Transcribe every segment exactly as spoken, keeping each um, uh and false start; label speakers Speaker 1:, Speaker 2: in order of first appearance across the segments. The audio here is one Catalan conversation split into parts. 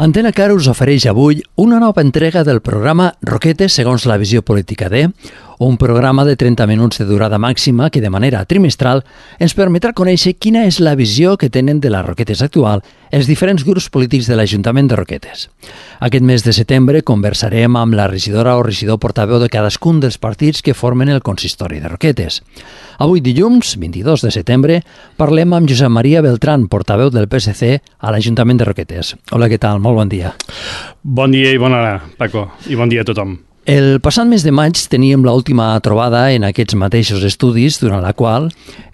Speaker 1: Antena Car us ofereix avui una nova entrega del programa Roquetes segons la visió política de, un programa de trenta minuts de durada màxima que de manera trimestral ens permetrà conèixer quina és la visió que tenen de les Roquetes actual els diferents grups polítics de l'Ajuntament de Roquetes. Aquest mes de setembre conversarem amb la regidora o regidor portaveu de cadascun dels partits que formen el consistori de Roquetes. Avui dilluns, vint-i-dos de setembre, parlem amb Josep Maria Beltrán, portaveu del P S C a l'Ajuntament de Roquetes. Hola, què tal? Molt bon dia.
Speaker 2: Bon dia i bona hora, Paco, i bon dia a tothom.
Speaker 1: El passat mes de maig teníem l'última trobada en aquests mateixos estudis, durant la qual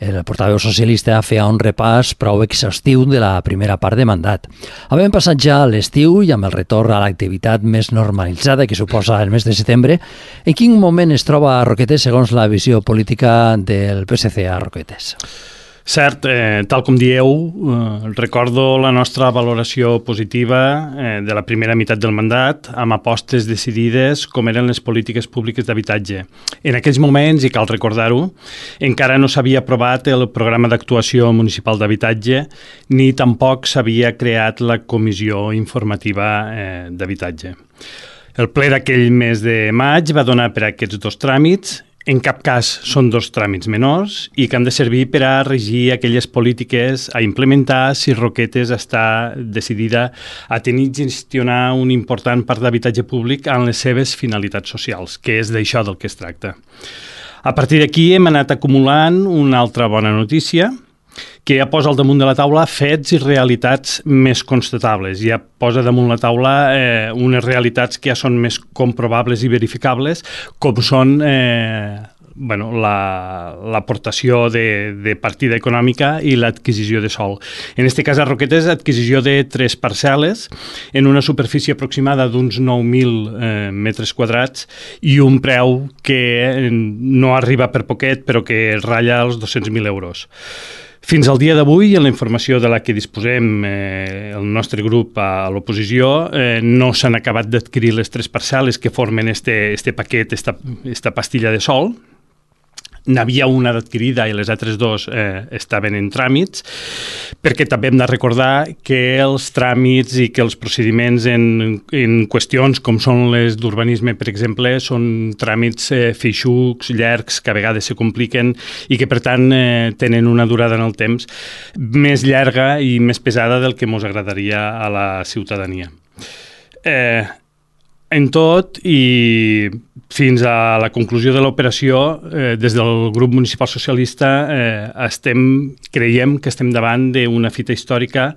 Speaker 1: el portaveu socialista feia un repàs prou exhaustiu de la primera part de mandat. Havent passat ja l'estiu i amb el retorn a l'activitat més normalitzada que suposa el mes de setembre, en quin moment es troba a Roquetes segons la visió política del P S C a Roquetes?
Speaker 2: Cert, eh, tal com dieu, eh, recordo la nostra valoració positiva eh, de la primera meitat del mandat amb apostes decidides com eren les polítiques públiques d'habitatge. En aquells moments, i cal recordar-ho, encara no s'havia aprovat el programa d'actuació municipal d'habitatge ni tampoc s'havia creat la comissió informativa eh, d'habitatge. El ple d'aquell mes de maig va donar per a aquests dos tràmits. En cap cas són dos tràmits menors i que han de servir per a regir aquelles polítiques a implementar si Roquetes està decidida a tenir i gestionar un important part d'habitatge públic en les seves finalitats socials, que és d'això del que es tracta. A partir d'aquí hem anat acumulant una altra bona notícia, que ja posa al damunt de la taula fets i realitats més constatables. Ja posa damunt la taula eh, unes realitats que ja són més comprovables i verificables, com són eh, bueno, l'aportació la, de, de partida econòmica i l'adquisició de sòl. En aquest cas, a Roquetes, adquisició de tres parcel·les en una superfície aproximada d'uns nou mil eh, metres quadrats i un preu que no arriba per poquet, però que ratlla els dos-cents mil euros. Fins al dia d'avui, en la informació de la que disposem eh, el nostre grup a l'oposició, eh, no s'han acabat d'adquirir les tres parcel·les que formen este, este paquet, esta, esta pastilla de sòl. N'havia una d'adquirida i les altres dos eh, estaven en tràmits, perquè també hem de recordar que els tràmits i que els procediments en, en qüestions com són les d'urbanisme, per exemple, són tràmits eh, feixucs, llargs, que a vegades se compliquen i que, per tant, eh, tenen una durada en el temps més llarga i més pesada del que ens agradaria a la ciutadania. Eh, En tot, i fins a la conclusió de l'operació, eh, des del grup municipal socialista eh, estem, creiem que estem davant d'una fita històrica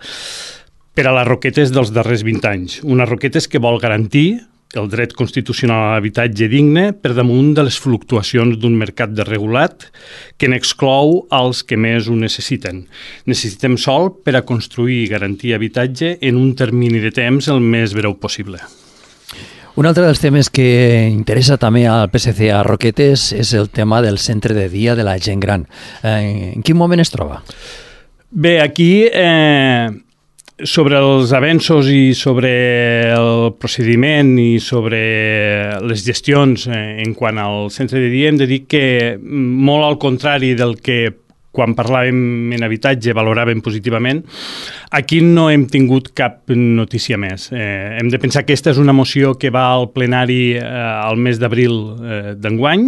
Speaker 2: per a les Roquetes dels darrers vint anys. Unes Roquetes que vol garantir el dret constitucional a l'habitatge digne per damunt de les fluctuacions d'un mercat desregulat que n'exclou els que més ho necessiten. Necessitem sòl per a construir i garantir habitatge en un termini de temps el més breu possible.
Speaker 1: Un altre dels temes que interessa també al P S C a Roquetes és el tema del centre de dia de la gent gran. Eh, en quin moment es troba?
Speaker 2: Bé, aquí, eh, sobre els avenços i sobre el procediment i sobre les gestions eh, en quant al centre de dia, hem de dir que molt al contrari del que quan parlàvem en habitatge valoràvem positivament, aquí no hem tingut cap notícia més. Eh, hem de pensar que aquesta és una moció que va al plenari eh, al mes d'abril eh, d'enguany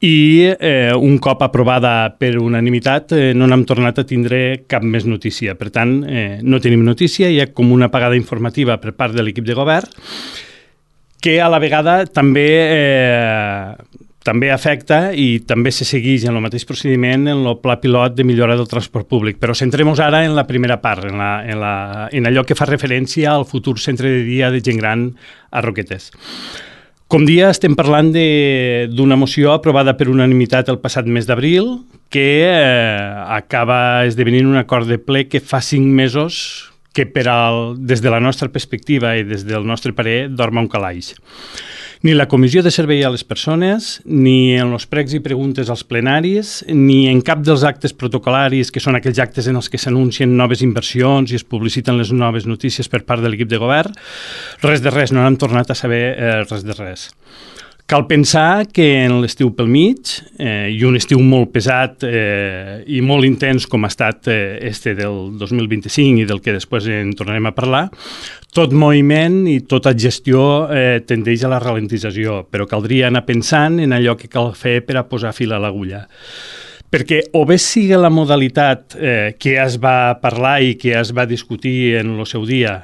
Speaker 2: i eh, un cop aprovada per unanimitat eh, no n'hem tornat a tindre cap més notícia. Per tant, eh, no tenim notícia, hi ha com una apagada informativa per part de l'equip de govern que a la vegada també eh, també afecta i també se segueix en el mateix procediment en el pla pilot de millora del transport públic. Però centrem-nos ara en la primera part, en, la, en, la, en allò que fa referència al futur centre de dia de gent gran a Roquetes. Com dia, estem parlant d'una moció aprovada per unanimitat el passat mes d'abril que eh, acaba esdevenint un acord de ple que fa cinc mesos que per al, des de la nostra perspectiva i des del nostre parer dorma un calaix. Ni la Comissió de Servei a les Persones, ni en els pregs i preguntes als plenaris, ni en cap dels actes protocolaris, que són aquells actes en els que s'anuncien noves inversions i es publiciten les noves notícies per part de l'equip de govern, res de res, no hem tornat a saber eh, res de res. Cal pensar que en l'estiu pel mig, eh, i un estiu molt pesat eh, i molt intens com ha estat eh, este del dos mil vint-i-cinc i del que després en tornarem a parlar, tot moviment i tota gestió eh, tendeix a la ralentització, però caldria anar pensant en allò que cal fer per a posar fil a l'agulla. Perquè o bé sigui la modalitat eh, que es va parlar i que es va discutir en el seu dia,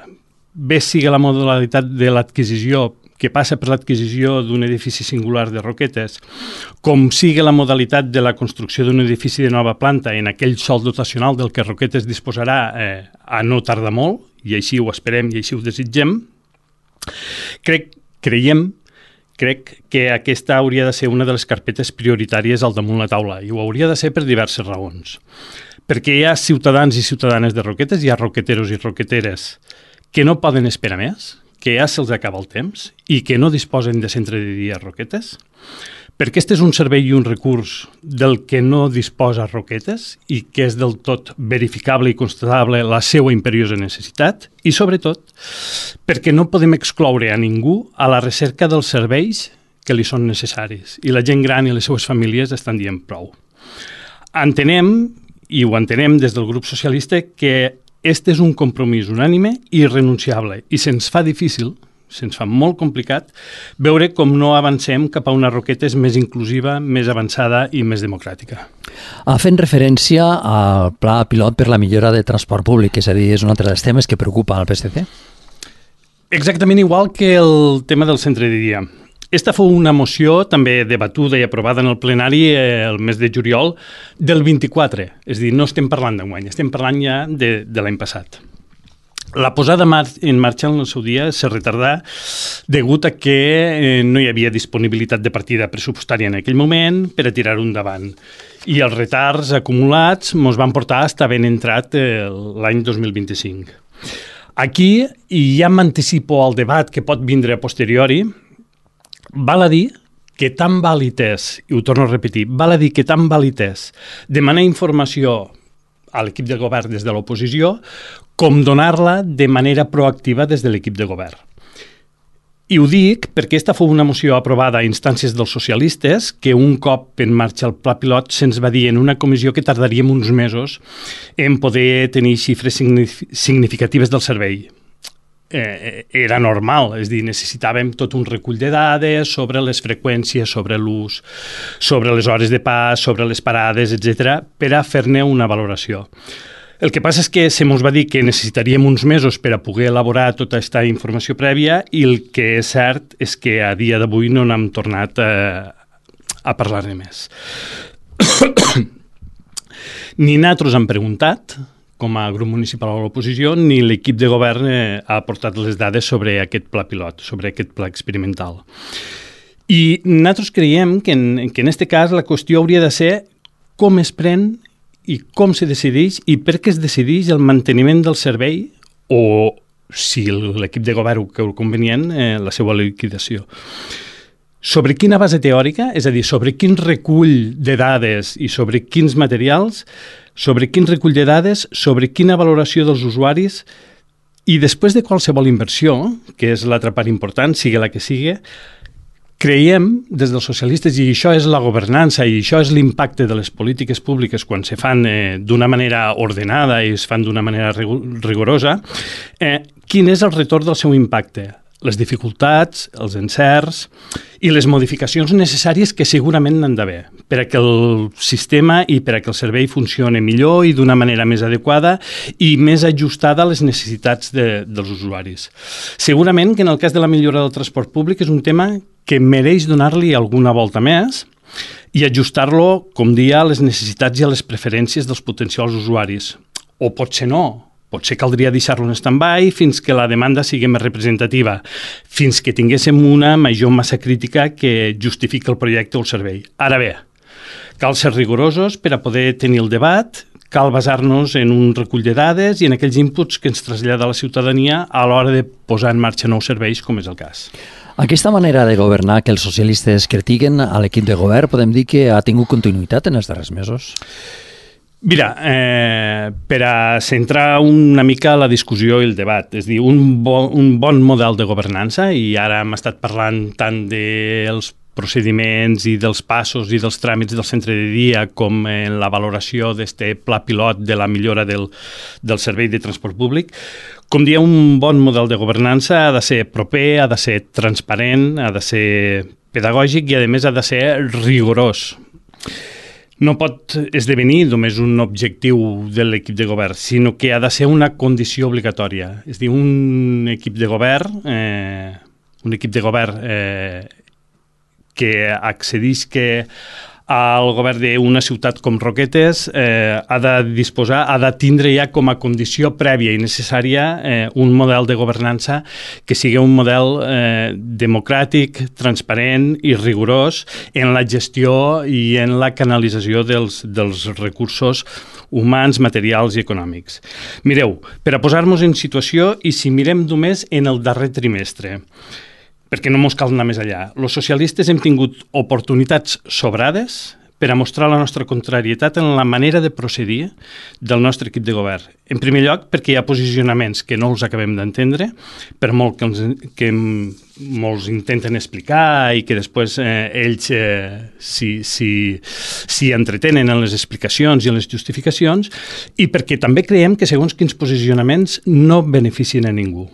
Speaker 2: bé sigui la modalitat de l'adquisició que passa per l'adquisició d'un edifici singular de Roquetes, com sigui la modalitat de la construcció d'un edifici de nova planta en aquell sòl dotacional del que Roquetes disposarà eh, a no tardar molt, i així ho esperem i així ho desitgem, crec, creiem, crec que aquesta hauria de ser una de les carpetes prioritàries al damunt la taula, i ho hauria de ser per diverses raons. Perquè hi ha ciutadans i ciutadanes de Roquetes, hi ha roqueteros i roqueteres que no poden esperar més, que ja se'ls acaba el temps i que no disposen de centre de dia a Roquetes, perquè este és un servei i un recurs del que no disposa Roquetes i que és del tot verificable i constatable la seva imperiosa necessitat, i sobretot perquè no podem excloure a ningú a la recerca dels serveis que li són necessaris, i la gent gran i les seves famílies estan dient prou. Entenem, i ho entenem des del grup socialista, que este és un compromís unànime i irrenunciable, i se'ns fa difícil, se'ns fa molt complicat, veure com no avancem cap a una Roquetes més inclusiva, més avançada i més democràtica.
Speaker 1: Ha fent referència al pla pilot per la millora de transport públic, és a dir, és un altre dels temes que preocupa al P S C.
Speaker 2: Exactament igual que el tema del centre de dia. Esta fou una moció també debatuda i aprovada en el plenari eh, el mes de juliol del vint-i-quatre. És a dir, no estem parlant d'enguany, estem parlant ja de, de l'any passat. La posada en marxa en el seu dia se retardà degut a que eh, no hi havia disponibilitat de partida pressupostària en aquell moment per a tirar-ho endavant. I els retards acumulats ens van portar fins ben entrat eh, l'any dos mil vint-i-cinc. Aquí, i ja m'anticipo al debat que pot vindre a posteriori, val a dir que tan vàlid és, i ho torno a repetir, val a dir que tan vàlid és demanar informació a l'equip de govern des de l'oposició com donar-la de manera proactiva des de l'equip de govern. I ho dic perquè aquesta fou una moció aprovada a instàncies dels socialistes que un cop en marxa el pla pilot se'ns va dir en una comissió que tardaríem uns mesos en poder tenir xifres significatives del servei. Eh, era normal, és a dir, necessitàvem tot un recull de dades sobre les freqüències, sobre l'ús, sobre les hores de pas, sobre les parades, etcètera, per a fer-ne una valoració. El que passa és que se mos va dir que necessitaríem uns mesos per a poder elaborar tota aquesta informació prèvia, i el que és cert és que a dia d'avui no n'hem tornat a, a parlar-ne més. Ni nosaltres hem preguntat, com a grup municipal a l'oposició, ni l'equip de govern eh, ha aportat les dades sobre aquest pla pilot, sobre aquest pla experimental. I nosaltres creiem que en, que en este cas la qüestió hauria de ser com es pren i com se decideix i per què es decideix el manteniment del servei o, si l'equip de govern ho creu convenient, eh, la seva liquidació. Sobre quina base teòrica, és a dir, sobre quin recull de dades i sobre quins materials, sobre quin recull de dades, sobre quina valoració dels usuaris, i després de qualsevol inversió, que és l'altra part important, sigui la que sigui, creiem, des dels socialistes, i això és la governança i això és l'impacte de les polítiques públiques quan se fan eh, d'una manera ordenada i es fan d'una manera rigorosa, eh, quin és el retorn del seu impacte, les dificultats, els encerts i les modificacions necessàries que segurament n'han d'haver per a que el sistema i per a que el servei funcioni millor i d'una manera més adequada i més ajustada a les necessitats de, dels usuaris. Segurament que en el cas de la millora del transport públic és un tema que mereix donar-li alguna volta més i ajustar-lo, com dia, a les necessitats i a les preferències dels potencials usuaris. O potser no. Potser caldria deixar-lo en stand-by fins que la demanda sigui més representativa, fins que tinguéssim una major massa crítica que justifiqui el projecte o el servei. Ara bé, cal ser rigorosos per a poder tenir el debat, cal basar-nos en un recull de dades i en aquells inputs que ens trasllada la ciutadania a l'hora de posar en marxa nous serveis, com és el cas.
Speaker 1: Aquesta manera de governar que els socialistes critiquen a l'equip de govern, podem dir que ha tingut continuïtat en els darrers mesos?
Speaker 2: Mira, eh, per a centrar una mica la discussió i el debat, és a dir, un, bo, un bon model de governança, i ara hem estat parlant tant dels procediments i dels passos i dels tràmits del centre de dia, com en la valoració d'aquest pla pilot de la millora del, del servei de transport públic. Com dia, un bon model de governança ha de ser proper, ha de ser transparent, ha de ser pedagògic i, a més, ha de ser rigorós. No pot esdevenir només un objectiu de l'equip de govern, sinó que ha de ser una condició obligatòria. És a dir, un equip de govern, eh, un equip de govern eh, que accedís que al govern d'una ciutat com Roquetes eh, ha de disposar, ha de tindre ja com a condició prèvia i necessària eh, un model de governança que sigui un model eh, democràtic, transparent i rigorós en la gestió i en la canalització dels, dels recursos humans, materials i econòmics. Mireu, per a posar-nos en situació, i si mirem només en el darrer trimestre, perquè no mos cal anar més allà. Els socialistes hem tingut oportunitats sobrades per a mostrar la nostra contrarietat en la manera de procedir del nostre equip de govern. En primer lloc, perquè hi ha posicionaments que no els acabem d'entendre, per molt que, els, que molts intenten explicar i que després eh, ells eh, s'hi si, si entretenen en les explicacions i en les justificacions, i perquè també creiem que segons quins posicionaments no beneficien a ningú.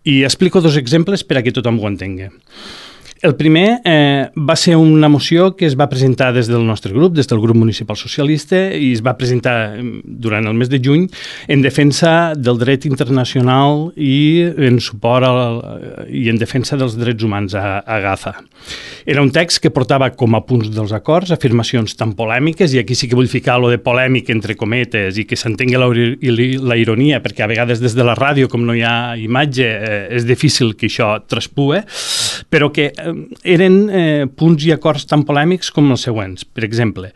Speaker 2: I explico dos exemples per a que tothom ho entengui. El primer eh, va ser una moció que es va presentar des del nostre grup, des del grup municipal socialista, i es va presentar durant el mes de juny en defensa del dret internacional i en suport al, i en defensa dels drets humans a, a Gaza. Era un text que portava com a punts dels acords afirmacions tan polèmiques, i aquí sí que vull ficar lo de polèmic entre cometes i que s'entengui la, la ironia, perquè a vegades des de la ràdio, com no hi ha imatge, eh, és difícil que això traspue, però que eren eh, punts i acords tan polèmics com els següents. Per exemple,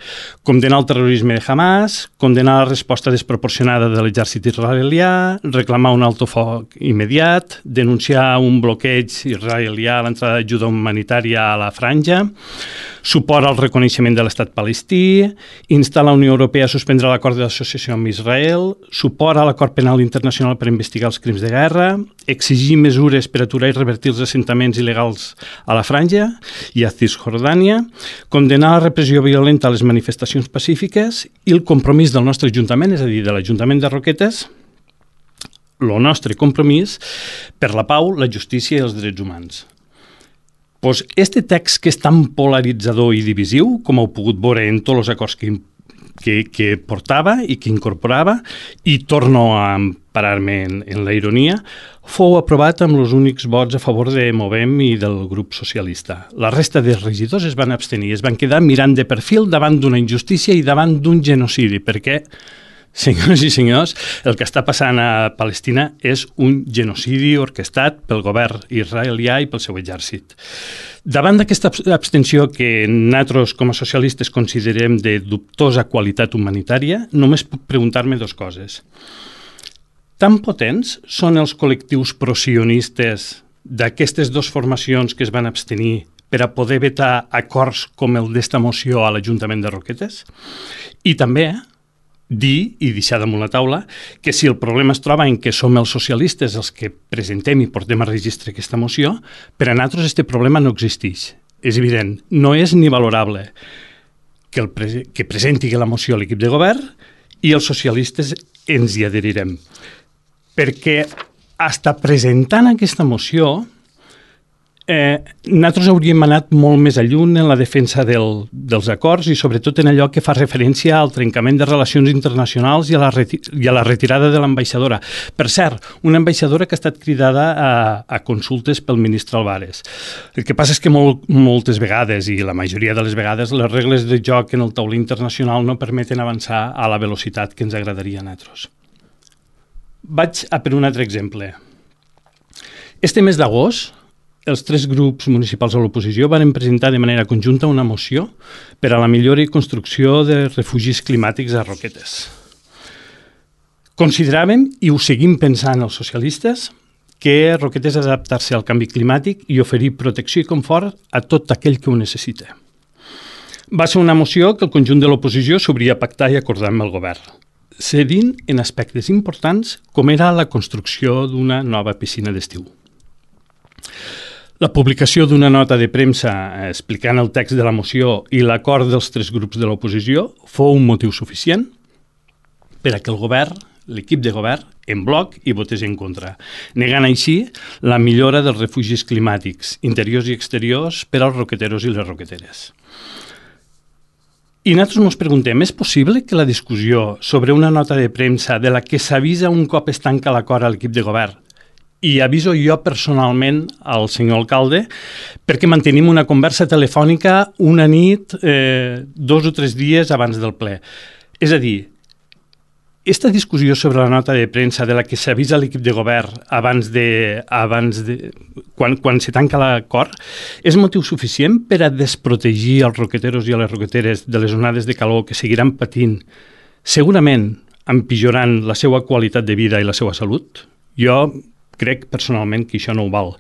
Speaker 2: condenar el terrorisme de Hamas, condenar la resposta desproporcionada de l'exèrcit israelià, reclamar un alto foc immediat, denunciar un bloqueig israelià a l'entrada d'ajuda humanitària a la franja, suport al reconeixement de l'estat palestí, instar la Unió Europea a suspendre l'acord d'associació amb Israel, suport a l'acord penal internacional per investigar els crims de guerra, exigir mesures per aturar i revertir els assentaments il·legals a la franja i a Cisjordània, condenar la repressió violenta a les manifestacions pacífiques i el compromís del nostre Ajuntament, és a dir, de l'Ajuntament de Roquetes, el nostre compromís per la pau, la justícia i els drets humans. Pues este text que és tan polaritzador i divisiu, com heu pogut veure en tots els acords que, que, que portava i que incorporava, i torno a parar-me en, en la ironia, fou aprovat amb els únics vots a favor de Movem i del grup socialista. La resta de regidors es van abstenir, es van quedar mirant de perfil davant d'una injustícia i davant d'un genocidi, perquè, senyors i senyors, el que està passant a Palestina és un genocidi orquestat pel govern israelià i pel seu exèrcit. Davant d'aquesta abstenció que nosaltres com a socialistes considerem de dubtosa qualitat humanitària, només puc preguntar-me dues coses. Tan potents són els col·lectius prosionistes d'aquestes dues formacions que es van abstenir per a poder vetar acords com el d'esta moció a l'Ajuntament de Roquetes? I també dir i deixar damunt la taula que si el problema es troba en que som els socialistes els que presentem i portem a registre aquesta moció, per a nosaltres aquest problema no existeix. És evident, no és ni valorable que, el pre que presenti la moció a l'equip de govern i els socialistes ens hi adherirem. Perquè hasta presentant aquesta moció Eh, nosaltres hauríem anat molt més lluny en la defensa del, dels acords i sobretot en allò que fa referència al trencament de relacions internacionals i a la, i a la retirada de l'ambaixadora. Per cert, una ambaixadora que ha estat cridada a, a consultes pel ministre Álvarez. El que passa és que molt, moltes vegades, i la majoria de les vegades, les regles de joc en el taulí internacional no permeten avançar a la velocitat que ens agradaria a nosaltres. Vaig a per un altre exemple. Este mes d'agost, els tres grups municipals a l'oposició van presentar de manera conjunta una moció per a la millora i construcció de refugis climàtics a Roquetes. Consideràvem, i ho seguim pensant els socialistes, que Roquetes ha d'adaptar-se al canvi climàtic i oferir protecció i confort a tot aquell que ho necessita. Va ser una moció que el conjunt de l'oposició s'obria a pactar i acordar amb el govern, cedint en aspectes importants com era la construcció d'una nova piscina d'estiu. La publicació d'una nota de premsa explicant el text de la moció i l'acord dels tres grups de l'oposició fou un motiu suficient per a que el govern, l'equip de govern, en bloc i votés en contra, negant així la millora dels refugis climàtics, interiors i exteriors per als roqueteros i les roqueteres. I nosaltres ens preguntem, és possible que la discussió sobre una nota de premsa de la que s'avisa un cop es tanca l'acord a l'equip de govern i aviso jo personalment al senyor alcalde perquè mantenim una conversa telefònica una nit, eh, dos o tres dies abans del ple. És a dir, esta discussió sobre la nota de premsa de la que s'avisa l'equip de govern abans de, abans de, quan, quan se tanca l'acord és motiu suficient per a desprotegir els roqueteros i a les roqueteres de les onades de calor que seguiran patint, segurament empitjorant la seva qualitat de vida i la seva salut? Jo crec personalment que això no ho val.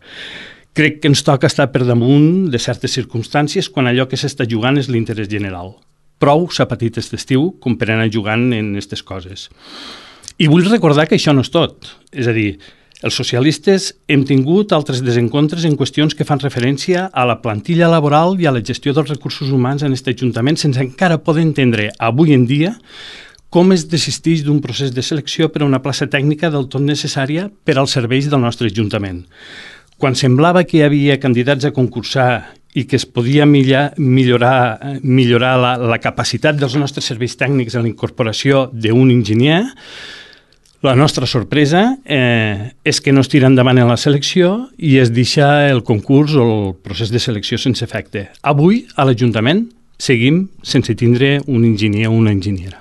Speaker 2: Crec que ens toca estar per damunt de certes circumstàncies quan allò que s'està jugant és l'interès general. Prou s'ha patit aquest estiu com per anar jugant en aquestes coses. I vull recordar que això no és tot. És a dir, els socialistes hem tingut altres desencontres en qüestions que fan referència a la plantilla laboral i a la gestió dels recursos humans en aquest Ajuntament sense encara poder entendre avui en dia com es desisteix d'un procés de selecció per a una plaça tècnica del tot necessària per als serveis del nostre Ajuntament. Quan semblava que hi havia candidats a concursar i que es podia millorar, millorar, millorar la, la capacitat dels nostres serveis tècnics en la incorporació d'un enginyer, la nostra sorpresa eh, és que no es tira endavant en la selecció i es deixa el concurs o el procés de selecció sense efecte. Avui, a l'Ajuntament, seguim sense tindre un enginyer o una enginyera.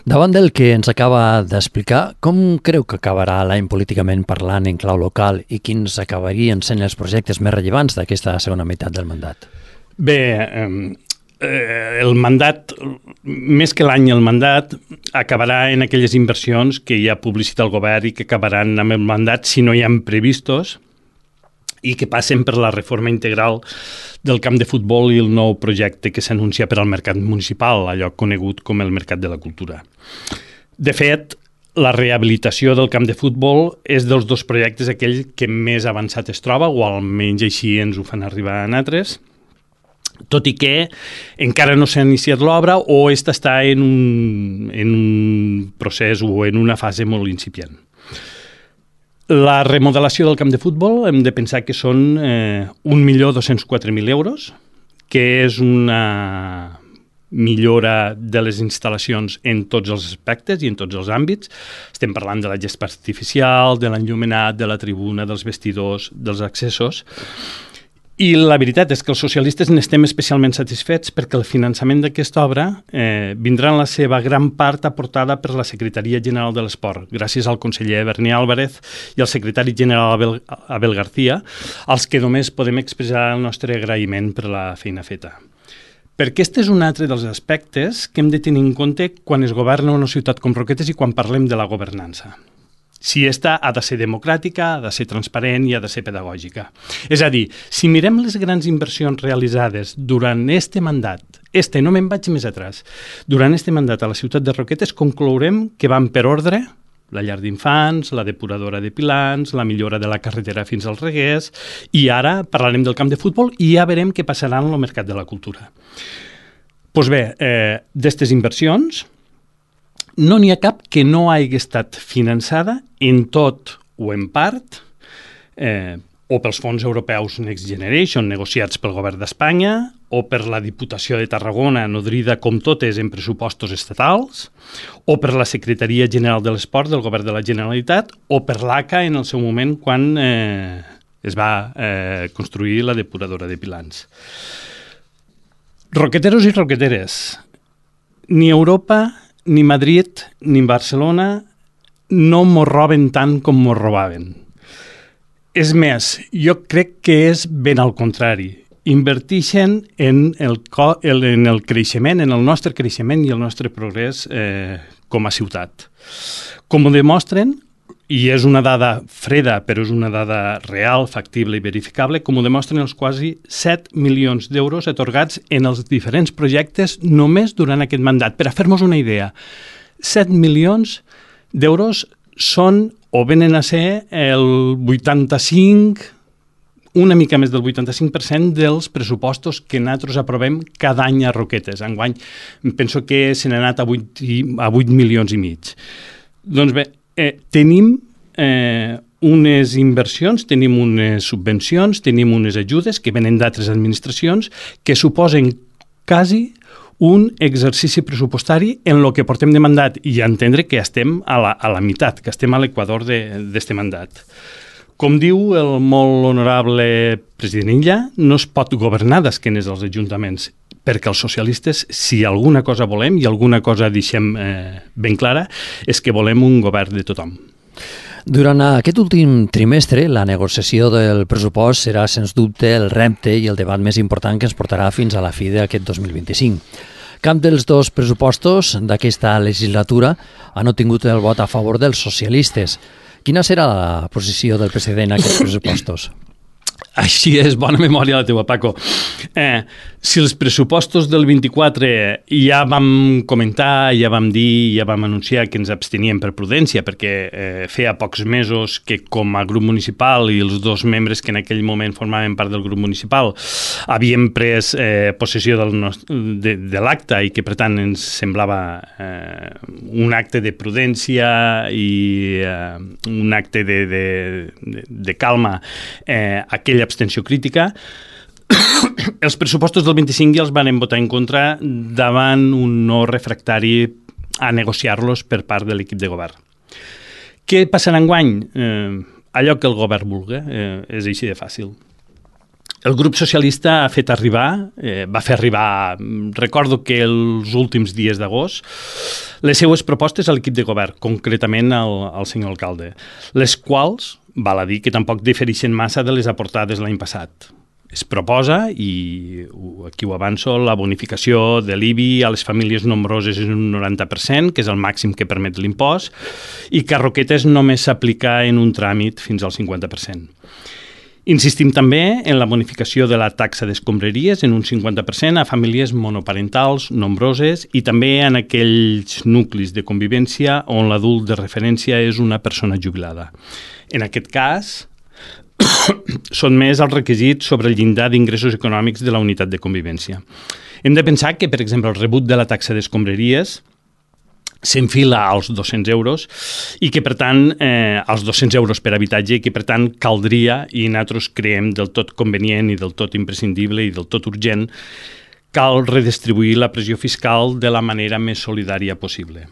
Speaker 1: Davant del que ens acaba d'explicar, com creu que acabarà l'any políticament parlant en clau local i quins acabarien sent els projectes més rellevants d'aquesta segona meitat del mandat?
Speaker 2: Bé, eh, el mandat, més que l'any el mandat, acabarà en aquelles inversions que ja ha publicitat el govern i que acabaran amb el mandat si no hi ha previstos i que passen per la reforma integral del camp de futbol i el nou projecte que s'anuncia per al mercat municipal, allò conegut com el Mercat de la Cultura. De fet, la rehabilitació del camp de futbol és dels dos projectes aquell que més avançat es troba, o almenys així ens ho fan arribar a nosaltres, tot i que encara no s'ha iniciat l'obra o esta està en un, en un procés o en una fase molt incipient. La remodelació del camp de futbol hem de pensar que són eh, un milió dos-cents quatre mil euros, que és una millora de les instal·lacions en tots els aspectes i en tots els àmbits. Estem parlant de la gespa artificial, de l'enllumenat, de la tribuna, dels vestidors, dels accessos. I la veritat és que els socialistes n'estem especialment satisfets perquè el finançament d'aquesta obra eh, vindrà en la seva gran part aportada per la Secretaria General de l'Esport, gràcies al conseller Berni Álvarez i al secretari general Abel, Abel García, als que només podem expressar el nostre agraïment per la feina feta. Perquè aquest és un altre dels aspectes que hem de tenir en compte quan es governa una ciutat com Roquetes i quan parlem de la governança. Si esta ha de ser democràtica, ha de ser transparent i ha de ser pedagògica. És a dir, si mirem les grans inversions realitzades durant este mandat, este no me'n vaig més atrás, durant este mandat a la ciutat de Roquetes, conclourem que van per ordre la llar d'infants, la depuradora de Pilans, la millora de la carretera fins als Reguers, i ara parlarem del camp de futbol i ja veurem què passarà en el mercat de la cultura. Doncs bé, eh, d'estes inversions, no n'hi ha cap que no hagi estat finançada en tot o en part eh, o pels fons europeus Next Generation negociats pel govern d'Espanya o per la Diputació de Tarragona nodrida com totes en pressupostos estatals o per la Secretaria General de l'Esport del govern de la Generalitat o per l'A C A en el seu moment quan eh, es va eh, construir la depuradora de Pilans. Roqueteros i roqueteres, ni Europa ni Madrid ni Barcelona no mos roben tant com mos robaven. És més, jo crec que és ben al contrari. Inverteixen en el, en el creixement, en el nostre creixement i el nostre progrés eh, com a ciutat. Com ho demostren, i és una dada freda, però és una dada real, factible i verificable, com ho demostren els quasi set milions d'euros atorgats en els diferents projectes només durant aquest mandat. Per a fer-nos una idea, set milions d'euros són o venen a ser el vuitanta-cinc una mica més del vuitanta-cinc per cent dels pressupostos que nosaltres aprovem cada any a Roquetes. Enguany penso que se n'ha anat a vuit, a vuit milions i mig. Doncs bé, eh, tenim eh, unes inversions, tenim unes subvencions, tenim unes ajudes que venen d'altres administracions que suposen quasi un exercici pressupostari en el que portem de mandat i entendre que estem a la, a la meitat, que estem a l'equador d'aquest mandat. Com diu el molt honorable president Illa, no es pot governar d'esquenes als ajuntaments, perquè els socialistes, si alguna cosa volem i alguna cosa deixem eh, ben clara, és que volem un govern de tothom.
Speaker 1: Durant aquest últim trimestre, la negociació del pressupost serà, sens dubte, el repte i el debat més important que ens portarà fins a la fi d'aquest dos mil vint-i-cinc. Cap dels dos pressupostos d'aquesta legislatura han obtingut el vot a favor dels socialistes. Quina serà la posició del president en aquests pressupostos?
Speaker 2: Així és, bona memòria la teua, Paco. Eh, si els pressupostos del vint-i-quatre ja vam comentar, ja vam dir, ja vam anunciar que ens absteníem per prudència, perquè eh, feia pocs mesos que com a grup municipal i els dos membres que en aquell moment formaven part del grup municipal havíem pres eh, possessió del nostre, de, de l'acte i que per tant ens semblava eh, un acte de prudència i eh, un acte de, de, de, de calma eh, aquella abstenció crítica. Els pressupostos del vint-i-cinc ja els van votar en contra davant un no refractari a negociar-los per part de l'equip de govern. Què passarà enguany? Eh, allò que el govern vulgui, eh, és així de fàcil. El grup socialista ha fet arribar, eh, va fer arribar, recordo que els últims dies d'agost, les seues propostes a l'equip de govern, concretament al, al senyor alcalde, les quals, val a dir que tampoc difereixen massa de les aportades l'any passat. Es proposa, i aquí ho avanço, la bonificació de l'I B I a les famílies nombroses és un noranta per cent, que és el màxim que permet l'impost, i que a Roquetes només s'aplica en un tràmit fins al cinquanta per cent. Insistim també en la bonificació de la taxa d'escombraries en un cinquanta per cent a famílies monoparentals nombroses i també en aquells nuclis de convivència on l'adult de referència és una persona jubilada. En aquest cas, són més els requisits sobre el llindar d'ingressos econòmics de la unitat de convivència. Hem de pensar que, per exemple, el rebut de la taxa d'escombraries s'enfila als dos-cents euros i que, per tant, eh, als dos-cents euros per habitatge i que, per tant, caldria, i nosaltres creiem del tot convenient i del tot imprescindible i del tot urgent, cal redistribuir la pressió fiscal de la manera més solidària possible.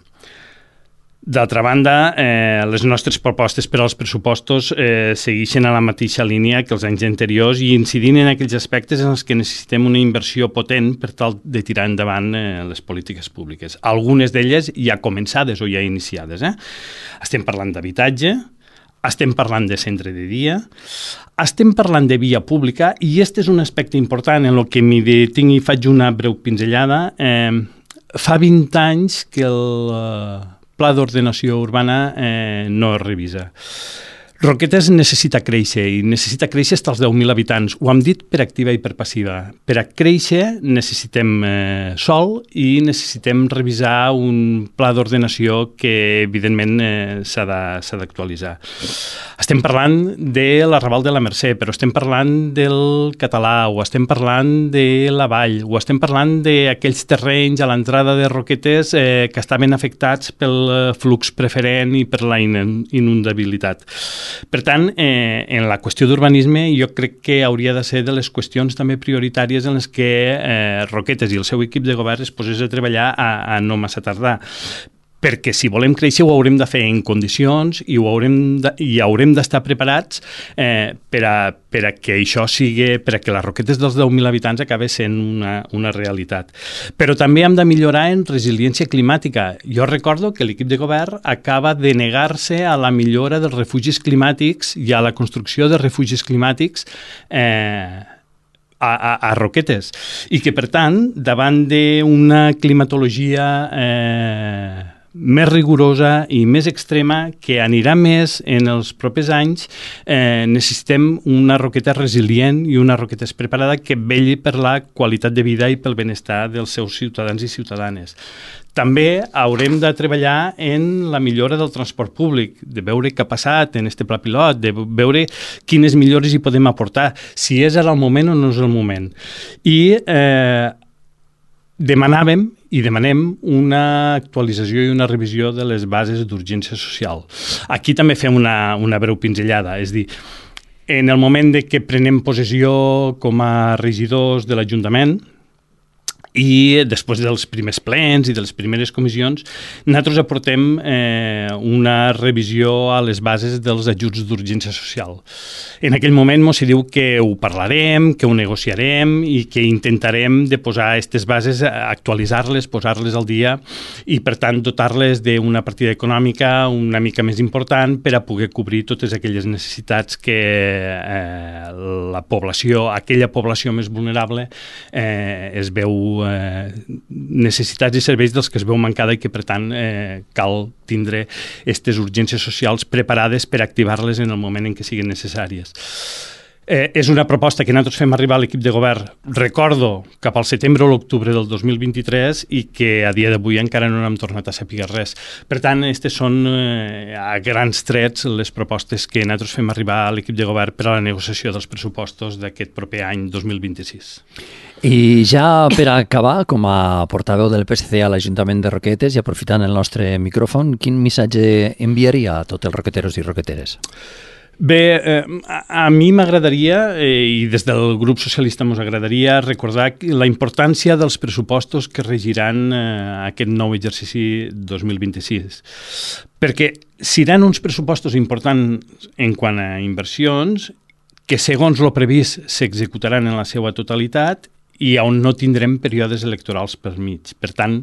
Speaker 2: D'altra banda, eh, les nostres propostes per als pressupostos eh, segueixen a la mateixa línia que els anys anteriors i incidint en aquells aspectes en els que necessitem una inversió potent per tal de tirar endavant eh, les polítiques públiques. Algunes d'elles ja començades o ja iniciades. Eh? Estem parlant d'habitatge, estem parlant de centre de dia, estem parlant de via pública i aquest és un aspecte important en el que m'hi detinc i faig una breu pinzellada. Eh, fa vint anys que el eh, Pla d'Ordenació Urbana eh, no es revisa. Roquetes necessita créixer i necessita créixer fins als deu mil habitants. Ho hem dit per activa i per passiva. Per a créixer necessitem eh, sòl i necessitem revisar un pla d'ordenació que evidentment eh, s'ha d'actualitzar. Estem parlant de l'Arrabal de la Mercè, però estem parlant del Català, o estem parlant de la Vall, o estem parlant d'aquells terrenys a l'entrada de Roquetes eh, que estaven afectats pel flux preferent i per la inundabilitat. Per tant, eh, en la qüestió d'urbanisme jo crec que hauria de ser de les qüestions també prioritàries en les que eh, Roquetes i el seu equip de govern es posés a treballar a, a no massa tardar. Perquè si volem créixer ho haurem de fer en condicions i ho haurem de, i haurem d'estar preparats eh, per, a, per a que això sigui, per a que les Roquetes dels deu mil habitants acabi sent una, una realitat. Però també hem de millorar en resiliència climàtica. Jo recordo que l'equip de govern acaba de negar-se a la millora dels refugis climàtics i a la construcció de refugis climàtics eh, A, a, a Roquetes, i que per tant davant d'una climatologia eh, més rigorosa i més extrema, que anirà més en els propers anys. Eh, necessitem una Roquetes resilient i una Roquetes preparada que vetlli per la qualitat de vida i pel benestar dels seus ciutadans i ciutadanes. També haurem de treballar en la millora del transport públic, de veure què ha passat en este pla pilot, de veure quines millores hi podem aportar, si és ara el moment o no és el moment. I eh, demanàvem i demanem una actualització i una revisió de les bases d'urgència social. Aquí també fem una, una breu pinzellada, és dir, en el moment de que prenem possessió com a regidors de l'Ajuntament, i després dels primers plens i de les primeres comissions, nosaltres aportem eh, una revisió a les bases dels ajuts d'urgència social. En aquell moment ens diu que ho parlarem, que ho negociarem i que intentarem de posar aquestes bases, actualitzar-les, posar-les al dia i, per tant, dotar-les d'una partida econòmica una mica més important per a poder cobrir totes aquelles necessitats que eh, la població, aquella població més vulnerable, eh, es veu Eh, necessitats i serveis dels que es veu mancada i que, per tant, eh, cal tindre aquestes urgències socials preparades per activar-les en el moment en què siguin necessàries. Eh, és una proposta que nosaltres fem arribar a l'equip de govern, recordo, cap al setembre o l'octubre del dos mil vint-i-tres i que a dia d'avui encara no hem tornat a saber res. Per tant, aquestes són eh, a grans trets les propostes que nosaltres fem arribar a l'equip de govern per a la negociació dels pressupostos d'aquest proper any dos mil vint-i-sis.
Speaker 1: I ja per acabar, com a portaveu del P S C a l'Ajuntament de Roquetes i aprofitant el nostre micròfon, quin missatge enviaria a tots els roqueteros i roqueteres?
Speaker 2: Bé, eh, a, a mi m'agradaria, eh, i des del grup socialista ens agradaria recordar la importància dels pressupostos que regiran eh, aquest nou exercici dos mil vint-i-sis. Perquè seran uns pressupostos importants en quant a inversions que, segons lo previst, s'executaran en la seva totalitat i on no tindrem períodes electorals per mig. Per tant,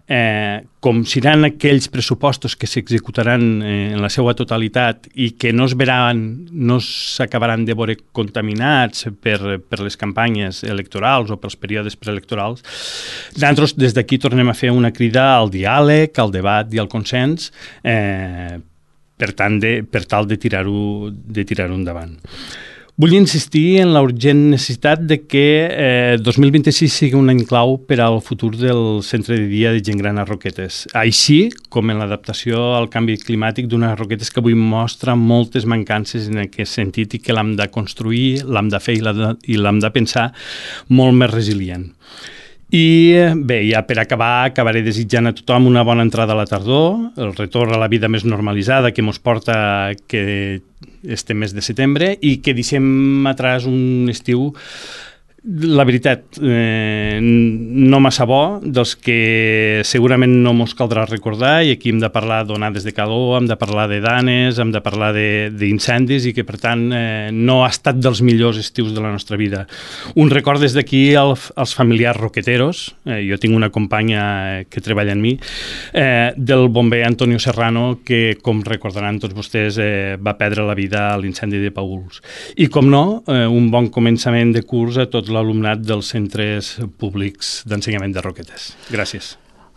Speaker 2: eh, com seran aquells pressupostos que s'executaran eh, en la seva totalitat i que no es veran, no s'acabaran de veure contaminats per, per les campanyes electorals o pels períodes preelectorals, nosaltres des d'aquí tornem a fer una crida al diàleg, al debat i al consens, eh, per, tant de, per tal de tirar-ho de tirar-ho endavant. Vull insistir en la urgent necessitat de que eh, dos mil vint-i-sis sigui un any clau per al futur del centre de dia de gent gran a Roquetes, així com en l'adaptació al canvi climàtic d'unes Roquetes que avui mostra moltes mancances en aquest sentit i que l'hem de construir, l'hem de fer i l'hem de pensar molt més resilient. I bé, ja per acabar, acabaré desitjant a tothom una bona entrada a la tardor, el retorn a la vida més normalitzada que ens porta que este mes de setembre i que deixem atràs un estiu, la veritat, eh, no massa bo, dels que segurament no mos caldrà recordar, i aquí hem de parlar d'onades de calor, hem de parlar de danes, hem de parlar d'incendis, i que per tant eh, no ha estat dels millors estius de la nostra vida. Un record des d'aquí al, als familiars roqueteros, eh, jo tinc una companya que treballa en mi, eh, del bomber Antonio Serrano, que com recordaran tots vostès eh, va perdre la vida a l'incendi de Paüls. I com no, eh, un bon començament de curs a tots l'alumnat dels centres públics d'ensenyament de Roquetes. Gràcies.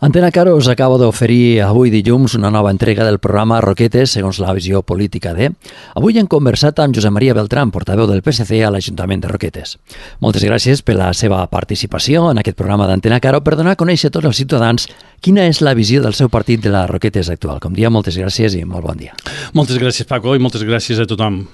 Speaker 1: Antena Caro us acaba d'oferir avui dilluns una nova entrega del programa Roquetes segons la visió política de... Avui hem conversat amb Josep Maria Beltrán, portaveu del P S C a l'Ajuntament de Roquetes. Moltes gràcies per la seva participació en aquest programa d'Antena Caro per donar a conèixer a tots els ciutadans quina és la visió del seu partit de la Roquetes actual. Com dia, moltes gràcies i molt bon dia.
Speaker 2: Moltes gràcies, Paco, i moltes gràcies a tothom.